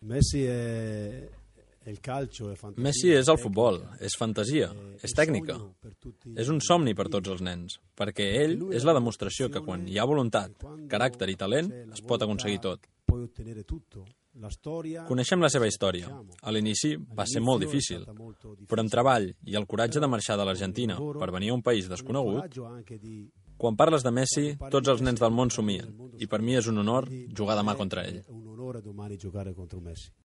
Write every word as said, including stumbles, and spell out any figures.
Messi è il calcio, è fantasia. Messi és el futbol, és fantasia, és tècnica. És un somni per tots els nens, perquè ell és la demostració que quan hi ha voluntat, caràcter i talent, es pot aconseguir tot. Coneixem la seva història. A l'inici va ser molt difícil, però amb treball i el coratge de marxar de l'Argentina per venir a un país desconegut, quan parles de Messi, tots els nens del món somien, i per mi és un honor jugar demà contra ell.